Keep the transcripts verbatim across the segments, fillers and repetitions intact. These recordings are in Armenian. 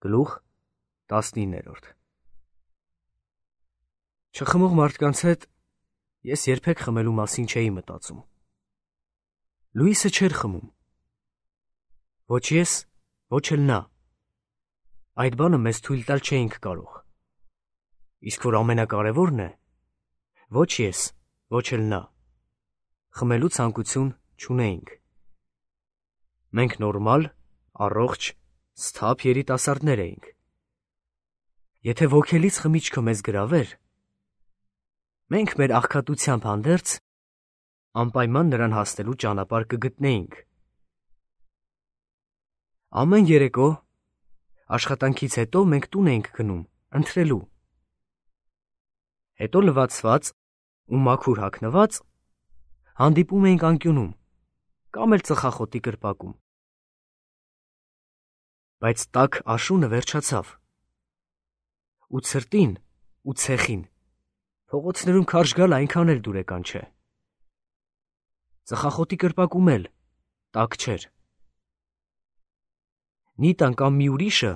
Գլուխ տասնիններորդ Չխմող մարդկանց հետ ես երբեք խմելու մասին չէի մտածում։ Լուիսը չէր խմում։ Ոչ ես, ոչ էլ նա։ Այդ բանը մեզ թույլ տալ չէինք կարող։ Իսկ որ ամենակարևորն է, ոչ ես, ոչ էլ նա, խմելու ցանկություն չունեինք։ Մենք նորմալ, առողջ, սթափ երիտասարդներ էինք։ Եթե ոգելից խմիչքը մեզ գրավեր, մենք մեր աղքատությամբ հանդերձ անպայման նրան հասնելու ճանապարհ կգտնեինք։ Ամեն երեկո աշխատանքից հետո մենք տուն էինք գնում ընթրելու։ Հետո լվացված ու մաքուր հագնված հանդիպում էինք անկյունում կամ էլ ծխախոտի կրպակում։ Բայց տաք աշունը վերջացավ։ Ու ցրտին ու ցեխին փողոցներում քարշ գալ այնքան էլ դուրեկան չէ։ Ծխախոտի կրպակում էլ տաք չէր։ Նիտան կամ մի ուրիշը,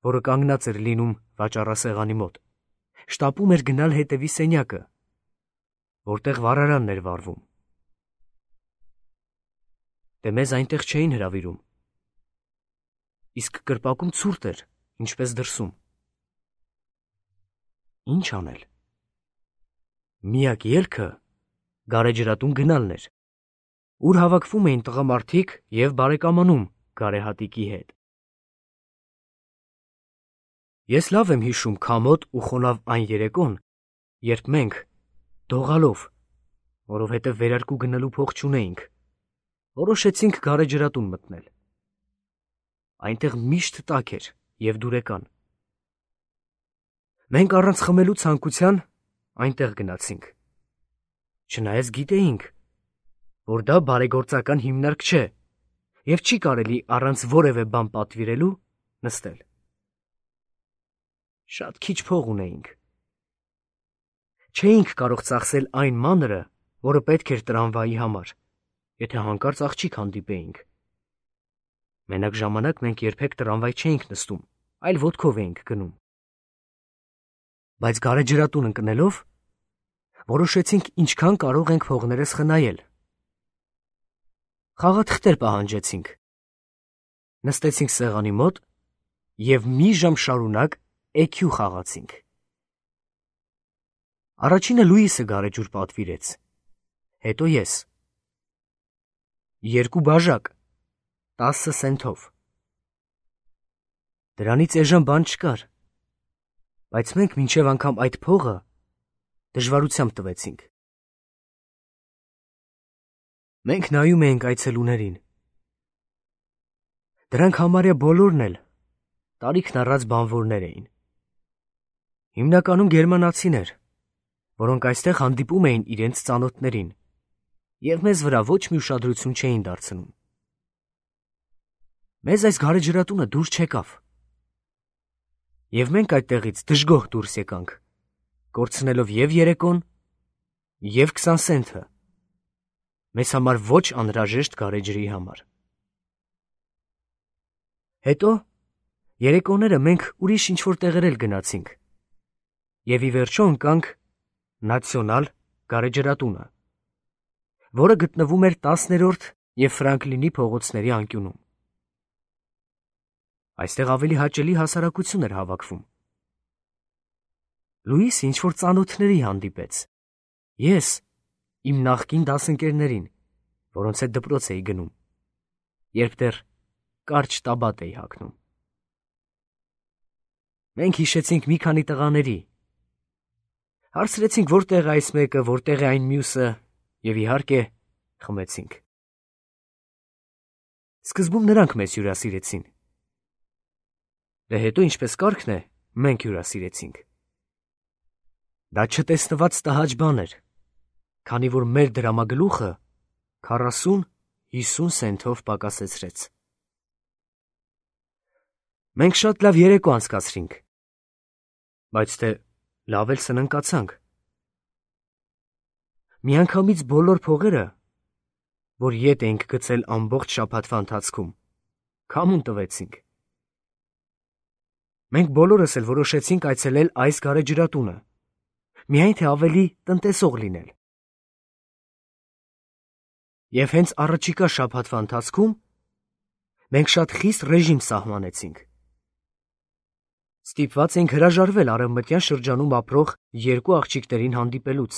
որը կանգնած էր լինում վաճառասեղանի մոտ, շտապում էր գնալ հետևի սենյակը, որտեղ վառարանն էր վառվում։ Դե մեզ այնտեղ չէին հրավիրում։ Իսկ կրպակում ցուրտ էր, ինչպես դրսում։ Ինչ անել։ Միակ ելքը գարեջրատուն գնալն էր, ուր հավաքվում էին տղամարդիկ և բարեկամանում գարեհատիկի հետ։ Ես լավ եմ հիշում քամոտ ու խոնավ այն երեկոն, երբ մենք, դողալով, որովհետև վերարկու գնելու փող չունեինք, որոշեցինք գարեջրատուն մտնել։ Այնտեղ միշտ տաք էր և դուրեկան։ Մենք առանց խմելու ցանկության այնտեղ գնացինք։ Չնայած գիտեինք, որ դա բարեգործական հիմնարկ չէ և չի կարելի առանց որևէ բան պատվիրելու նստել։ Շատ քիչ փող ունեինք։ Չէինք կարող ծախսել այն մանրը, որը պետք էր տրամվայի համար, եթե հանկարծ աղջիկ հանդիպեինք։ Մենակ ժամանակ մենք երբեք տրամվայ չէինք նստում, այլ ոտքով էինք գնում։ Բայց գարեջրատուն ընկնելով, որոշեցինք ինչքան կարող ենք փողներս խնայել։ Խաղաթղթեր պահանջեցինք։ Նստեցինք սեղանի մոտ և մի ժամ շարունակ էքյու խաղացինք։ Առաջինը Լուիսը գարեջուր պատվիրեց, հետո ես։ Երկու բաժակ, տասը սենթով։ Դրանից էժան բան չկար, բայց մենք մինչև անգամ այդ փողը դժվարությամբ տվեցինք։ Մենք նայում էինք այցելուներին։ Դրանք համարյա բոլորն էլ տարիքն առած բանվորներ էին։ Հիմնականում գերմանացիներ, որոնք այստեղ հանդիպում էին իրենց ծանոթներին և մեզ վրա ոչ մի ուշադրություն չէին դարձնում։ Մեզ այս գարեջրատունը դուր չեկավ։ Եվ մենք այդտեղից դժգոհ դուրս եկանք, կորցնելով և երեկոն, և քսան սենթը, մեզ համար ոչ անհրաժեշտ գարեջրի համար։ Հետո երեկոները մենք ուրիշ ինչ-որ տեղեր էլ գնացինք և ի վերջո ընկանք Նացիոնալ գարեջրատունը, որը գտնվում էր տասներորդ և Ֆրանկլինի փողոցների անկյունում։ Այստեղ ավելի հաճելի հասարակություն էր հավաքվում։ Լուիսը ինչ-որ ծանոթների հանդիպեց, ես իմ նախկին դասընկերներին, որոնց հետ դպրոց էի գնում, երբ դեռ կարճ տաբատ էի հագնում։ Մենք հիշեցինք մի քանի տղաների, հարցրեցինք որտեղ է այս մեկը, որտեղ է այն մյուսը և իհարկե խմեցինք։ Սկզբում նրանք մեզ հյուրասիրեցին։ Դե հետո ինչպես կարգն է, մենք հյուրասիրեցինք։ Դա չտեսնված տհաճ բան էր, քանի որ մեր դրամագլուխը քառասուն-հիսուն սենթով պակասեցրեց։ Մենք շատ լավ երեկո անցկացրինք, բայց թե լավ էլ սննկացանք։ Միանգամից բոլոր փողերը, որ ետ էինք գցել ամբողջ շաբաթվա ընթացքում, քամուն տվեցինք։ Մենք բոլորս էլ որոշեցինք այցելել այս գարեջրատունը, միայն թե ավելի տնտեսող լինել։ Եվ հենց առաջիկա շաբաթվա ընթացքում մենք շատ խիստ ռեժիմ սահմանեցինք։ Ստիպված էինք հրաժարվել արևմտյան շրջանում ապրող երկու աղջիկներին հանդիպելուց,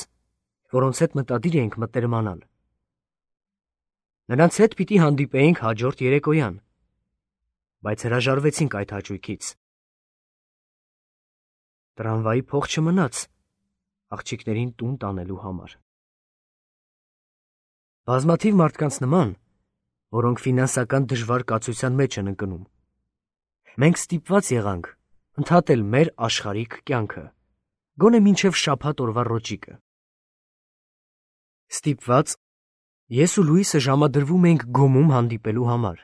որոնց հետ մտադիր էինք մտերմանալ։ Նրանց հետ պիտի հանդիպեինք հաջորդ երեկոյան, բայց հրաժարվեցինք այդ հաճույքից։ Տրամվայի փող չմնաց աղջիկներին տուն տանելու համար։ Բազմաթիվ մարդկանց նման, որոնք ֆինանսական դժվար կացության մեջ են ընկնում, մենք ստիպված եղանք ընդհատել մեր աշխարհիկ կյանքը, գոնե մինչև շաբաթ օրվա ռոճիկը։ Ստիպված ես ու Լուիսը ժամադրվում էինք գոմում հանդիպելու համար,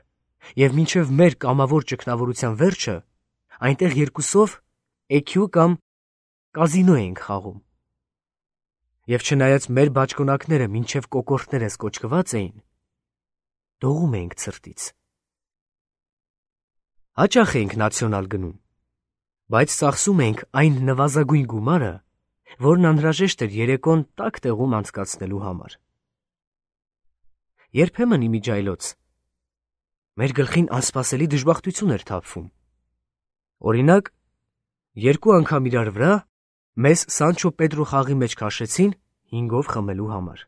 և մինչև մեր կամավոր ճգնավորության վերջը այնտեղ երկուսով էքյու կամ կազինո էինք խաղում։ Եվ չնայած մեր բաճկոնակները մինչև կոկորդներս կոճկված էին, դողում էինք ցրտից։ Հաճախ էինք նացիոնալ գնում, բայց ծախսում էինք այն նվազագույն գումարը, որն անհրաժեշտ էր երեկոն տաք տեղում անցկացնելու համար։ Երբեմն իմիջայլոց մեր գլխին անսպասելի դժբախտություն էր թափվում։ Օրինակ, երկու անգամ իրար վրա մեզ Սանչո Պետրո խաղի մեջ քաշեցին հինգով խմելու համար։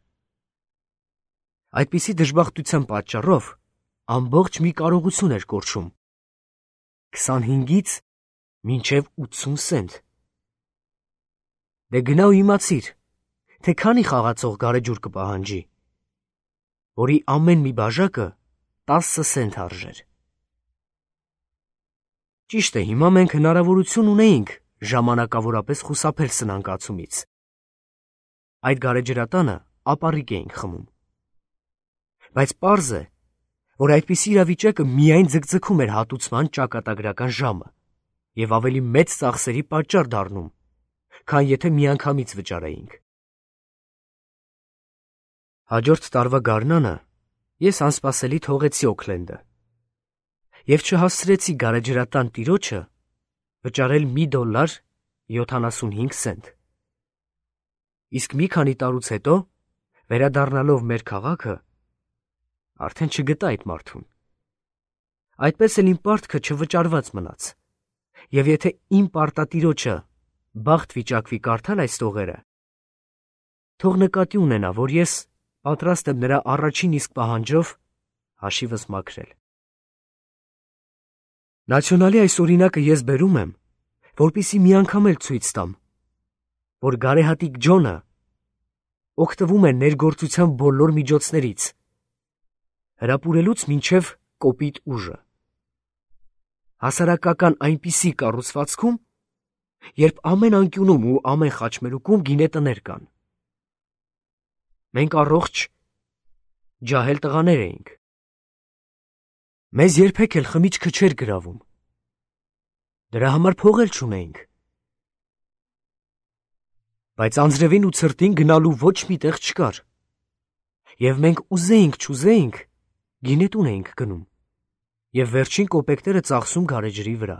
Այդպիսի դժբախտության պատճառով ամբողջ մի կարողություն էր կորչում՝ քսանհինգից մինչև ութսուն սենտ։ Դե գնա ու իմացիր, թե քանի խաղացող գարեջուր կպահանջի, որի ամեն մի բաժակը տասը սենտ արժեր։ Ճիշտ է, հիմա մենք հնարավորություն ունեինք ժամանակավորապես խուսափել սնանկացումից։ Այդ գարեջրատանը ապառիկ էինք խմում։ Բայց պարզ է, որ այդպիսի իրավիճակը միայն ձգձգում էր հատուցման ճակատագրական ժամը և ավելի մեծ ծախսերի պատճառ դառնում, քան եթե միանգամից վճարեինք։ Հաջորդ տարվա գարնանը ես անսպասելի թողեցի Օքլենդը և չհասցրեցի գարեջրատան տիրոջը վճարել մի դոլար յոթանասունհինգ սենտ։ Իսկ մի քանի տարուց հետո, վերադառնալով մեր քաղաքը, արդեն չգտա այդ մարդուն։ Այդպես էլ իմ պարտքը չվճարված մնաց, և եթե իմ պարտատիրոջը բախտ վիճակվի կարդալ այս տողերը, թող նկատի ունենա, որ ես պատրաստ եմ նրա առաջին իսկ պահանջով հաշիվս մաքրել։ Նացիոնալի այս օրինակը ես բերում եմ, որպեսզի մի անգամ էլ ցույց տամ, որ գարեհատիկ Ջոնը օգտվում է ներգործության բոլոր միջոցներից, հրապուրելուց մինչև կոպիտ ուժը, հասարակական այնպիսի կառուցվածքում, երբ ամեն անկյունում ու ամեն խաչմերուկում գինետներ կան։ Մենք առողջ ջահել տղաներ էինք։ Մեզ երբեք էլ խմիչքը չէր գրավում։ Դրա համար փող էլ չունեինք։ Բայց անձրևին ու ցրտին գնալու ոչ մի տեղ չկար, և մենք ուզեինք չուզեինք գինետուն էինք գնում և վերջին կոպեկները ծախսում գարեջրի վրա։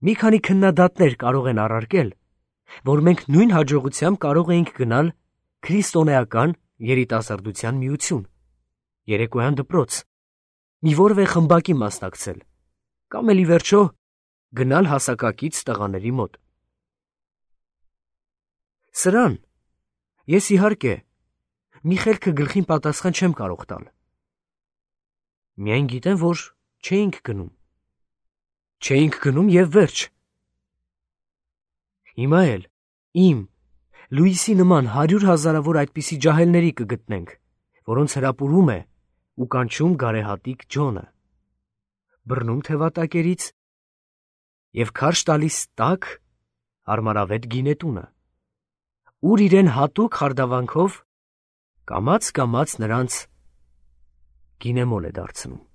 Մի քանի քննադատներ կարող են առարկել, որ մենք նույն հաջողությամբ կարող էինք գնալ քրիստոնեական երիտասարդության միություն, երեկոյան դպրոց, մի որևէ խմբակի մասնակցել, կամ էլ ի վերջո գնալ հասակակից տղաների մոտ։ Սրան ես իհարկե մի խելքը գլխին պատասխան չեմ կարող տալ։ Միայն գիտեմ, որ չէինք գնում։ Չէինք գնում և վերջ։ Հիմա էլ իմ, Լուիսի նման հարյուր հազարավոր այդպիսի ջահելների կգտնենք, որոնց հրապուրում է ու կանչում գարեհատիկ Ջոնը, բռնում թևատակերից և քարշ տալիս տաք, հարմարավետ գինետունը, ուր իրեն հատուկ խարդավանքով կամաց-կամաց նրանց գինեմոլ է դարձնում։